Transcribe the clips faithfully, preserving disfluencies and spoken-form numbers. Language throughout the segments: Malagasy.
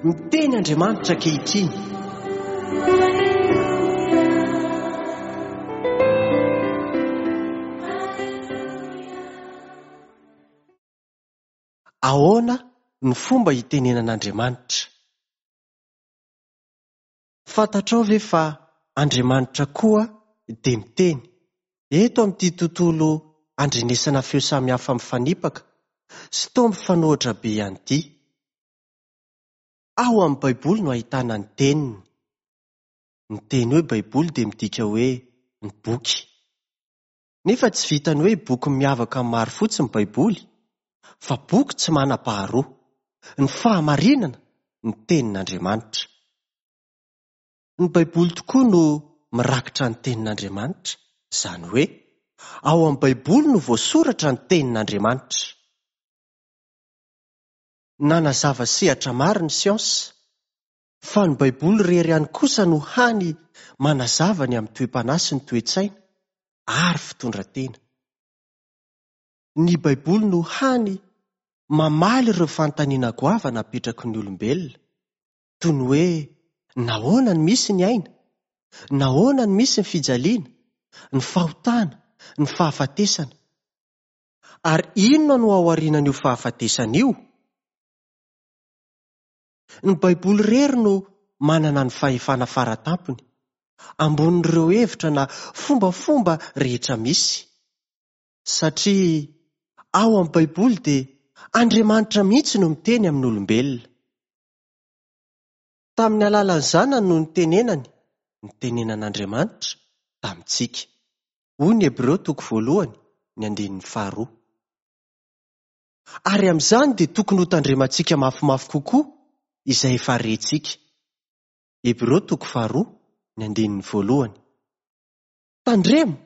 Miteny Andriamanitra ankehitriny. Ahoana ny fomba itenenan'Andriamanitra? Fantatrao ve fa Andriamanitra koa dia miteny eto amin'ity tontolo andrenesana feo samihafa mifanipaka sy toa mifanohitra be ihany ity? Ao amin'ny Baiboly no ahitana ny teniny. Ny teny hoe Baiboly dia midika hoe ny boky. Nefa tsy vitan'ny hoe boky miavaka amin'ny maro fotsiny ny Baiboly, fa boky tsy manam-paharoa. Ny fahamarinana, ny tenin'Andriamanitra. Ny Baiboly tokoa no mirakitra ny tenin'Andriamanitra, izany hoe ao amin'ny Baiboly no voasoratra ny tenin'Andriamanitra. Nanazava sehatra maro ny siansa, fa ny Baiboly irery ihany kosa no hany manazava ny amin'ny toe-panahy sy ny toe-tsaina ary fitondran-tena. Ny Baiboly no hany mamaly ireo fanontaniana goavana apetraky ny olombelona, toy ny hoe nahoana no misy ny aina, nahoana no misy ny fijaliana, ny fahotana, ny fahafatesana. Ary inona no ao aorianan'io fahafatesana io? Ny Baiboly irery no manana ny fahefana faratampony, ambonin'ireo hevitra na fombafomba rehetra misy. Satria ao amin'ny Baiboly dia Andriamanitra mihitsy no miteny amin'ny olombelona. Tamin'ny alalan'ny Zanany no nitenenany, nitenenan'Andriamanitra tamintsika. Hoy ny Hebreo toko voalohany, ny andininy faharoa. Ary amin'izany dia tokony hotandremantsika mafimafy kokoa izay efa rentsika. Hebreo toko faharoa, ny andininy voalohany. Tandremo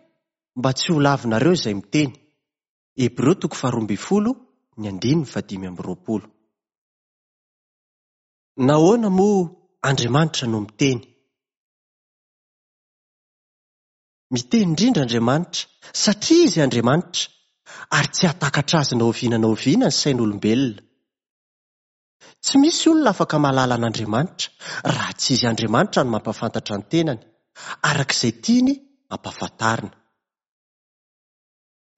mba tsy ho lavinareo izay miteny. Hebreo toko faharoa ambin'ny folo, ny andininy fahadimy amby roapolo. Nahoana moa Andriamanitra no miteny? Miteny indrindra Andriamanitra satria Izy Andriamanitra ary tsy hahatakatra azy na oviana na oviana ny sain'olombelona. Tsy misy olona afaka mahalala an'Andriamanitra raha tsy Izy Andriamanitra no mampahafantatra ny tenany, araka izay tiany hampahafantarina.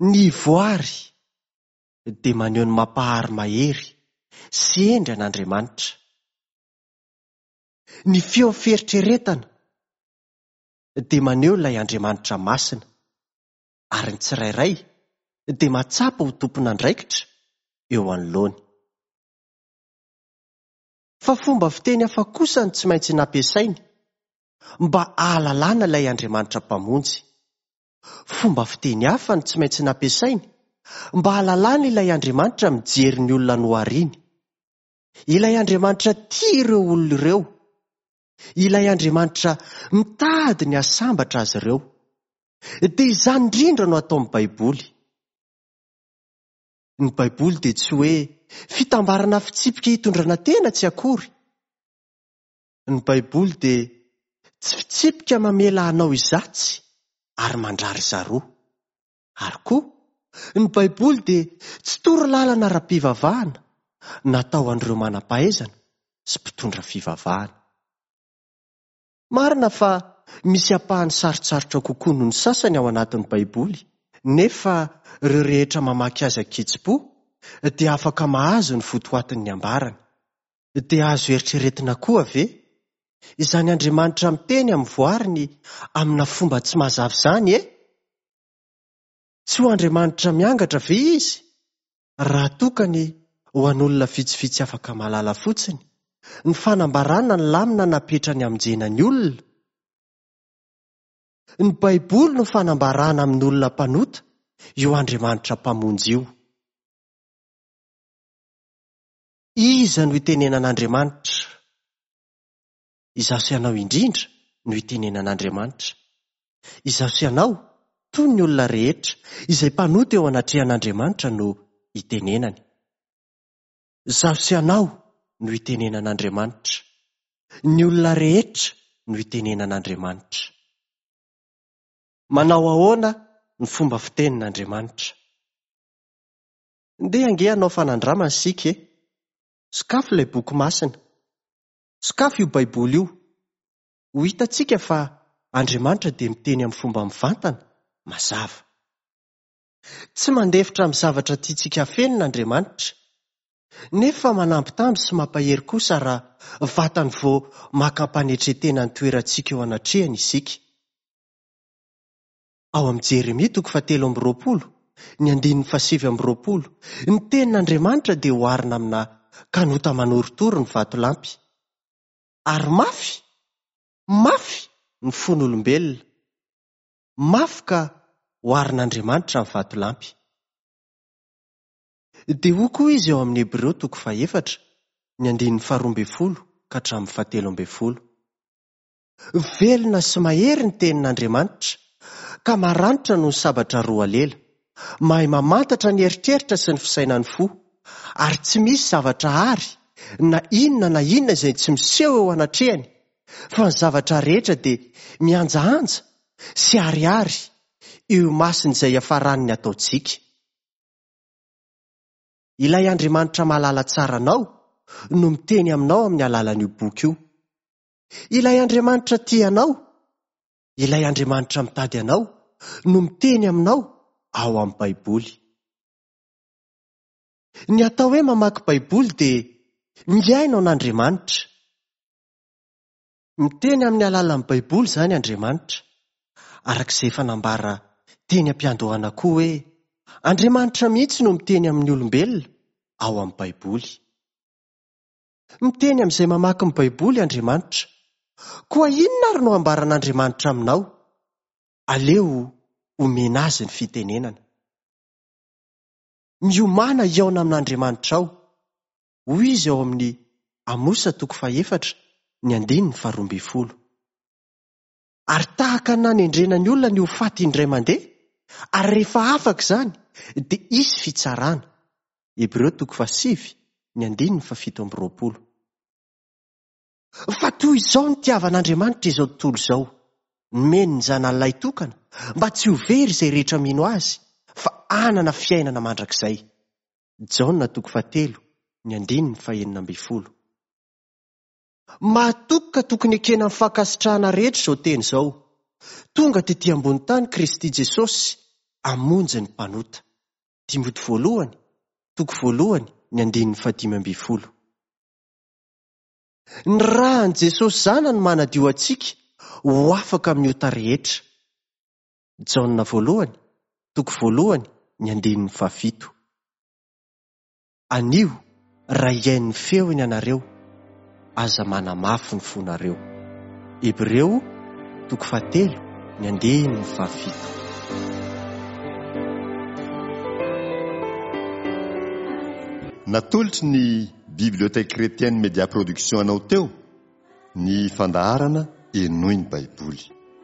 Ny voary dia maneho ny mampahary mahery sy hendry an'Andriamanitra. Ny feo fieritreretana dia maneho ilay Andriamanitra masina, ary ny tsirairay dia mahatsapa ho tompon'andraikitra eo anoloany. Fa fomba fiteny hafa kosa no tsy maintsy nampiasainy mba hahalalana ilay Andriamanitra Mpamonjy. Fomba fiteny hafa no tsy maintsy nampiasainy mba hahalalana ilay Andriamanitra mijery ny olona nohariny. Ilay Andriamanitra tia ireo olona ireo. Ilay Andriamanitra mitady ny hahasambatra azy ireo. Dia izany indrindra no ataon'ny Baiboly. Ny Baiboly dia tsy hoe fitambarana fitsipika hitondrana tena tsy akory. Ny Baiboly dia tsy fitsipika mamela hanao izatsy ary mandrary zaroa. Ary koa, ny Baiboly dia tsy toro lalana ara-pivavahana natao an'ireo manam-pahaizana sy mpitondra fivavahana. Marina fa misy ampahany sarotsarotra kokoa noho ny sasany ao anatin'ny Baiboly, nefa ireo rehetra mamaky azy an-kitsim-po dia afaka mahazo ny votoatin'ny ambarany. Dia azo eritreretina koa ve izany Andriamanitra miteny amin'ny voariny amina fomba tsy mazava izany e? Tsy ho Andriamanitra miangatra ve izy raha tokany ho an'olona vitsivitsy afaka mahalala fotsiny ny fanambarana ny lamina napetrany hamonjena ny olona? Ny Baiboly no fanambarana amin'ny olona mpanota io Andriamanitra Mpamonjy io. Iza no itenenan'Andriamanitra? Izaho sy ianao indrindra no itenenan'Andriamanitra. Izaho sy ianao, toy ny olona rehetra, izay mpanota eo anatrehan'Andriamanitra no itenenany. Izaho sy ianao no itenenan'Andriamanitra. Ny olona rehetra no itenenan'Andriamanitra. Manao ahoana ny fomba fitenin'Andriamanitra? Ndeha ange hanao fanandramana isika e! Sokafy ilay boky masina. Sokafy io Baiboly io. Ho hitantsika fa Andriamanitra dia miteny amin'ny fomba mivantana, mazava. Tsy mandefitra amin'ny zavatra tiantsika afenina Andriamanitra, nefa manambitamby sy mampahery kosa raha vatany vao maka am-panetren-tena ny toerantsika eo anatrehany isika. Ao amin'ny Jeremia toko fahatelo amby roapolo, ny andininy fahasivy amby roapolo, ny tenin'Andriamanitra dia oharina amina kanota manorotoro ny vatolampy. Ary mafy, mafy ny fon'olombelona. Mafy ka oharin'Andriamanitra amin'ny vatolampy. Dia hoy koa izy ao amin'ny Hebreo toko fahefatra, ny andininy faharoa ambin'ny folo ka hatramin'ny fahatelo ambin'ny folo. Velona sy mahery ny tenin'Andriamanitra, ka maranitra noho ny sabatra roa lela, mahay mamantatra ny eritreritra sy ny fisainan'ny fo, ary tsy misy zavatra ary na inona na inona izay tsy miseho eo anatrehany, fa ny zavatra rehetra dia mihanjahanja sy ariary eo imason'izay iafaran'ny ataontsika. Ilay Andriamanitra mahalala tsara anao no miteny aminao amin'ny alalan'io boky io. Ilay Andriamanitra tia anao, ilay Andriamanitra mitady anao no miteny aminao ao amin'ny Baiboly. Ny atao hoe mamaky Baiboly dia mihaino an'Andriamanitra. Miteny amin'ny alalan'ny Baiboly izany Andriamanitra, araka izay efa nambara teny am-piandohana koa hoe Andriamanitra mihitsy no miteny amin'ny olombelona ao amin'ny Baiboly. Miteny amin'izay mamaky ny Baiboly Andriamanitra. Koa inona ary no ambaran'Andriamanitra aminao? Aleo omena azy ny fitenenana. Miomàna hihaona amin'Andriamanitra ao. Hoy izy ao amin'ny Amosa toko fahefatra, ny andininy faharoa ambin'ny folo. Ary tahaka ny nanendrena ny olona ny ho faty indray mandeha, ary rehefa afaka izany dia hisy fitsarana. Hebreo toko fahasivy, ny andininy fahafito amby roapolo. Fa toy izao no nitiavan'Andriamanitra izao tontolo izao, nomeny ny zanany lahitokana mba tsy ho very izay rehetra mino azy, fa hanana fiainana mandrakizay. Jaona toko fahatelo, ny andininy fahenina ambin'ny folo. Mahatoky ka tokony ekena amin'ny fankasitrahana rehetra izao teny izao. Tonga tetỳ ambony tany Kristy Jesosy hamonjy ny mpanota. Timoty voalohany, toko voalohany, ny andininy fahadimy ambin'ny folo. Ny ràn'i Jesosy zanany manadio antsika ho afaka amin'ny ota rehetra. Jaona voalohany, toko voalohany, ny andininy fahafito. Anio, raha hihaino ny feony ianareo, aza manamafy ny fonareo. Hebreo, toko fahatelo, ny andininy fahafito. Natolotry ny Bibliothèque Chrétienne Média Production anao teo ny fandaharana Henoy ny Baiboly.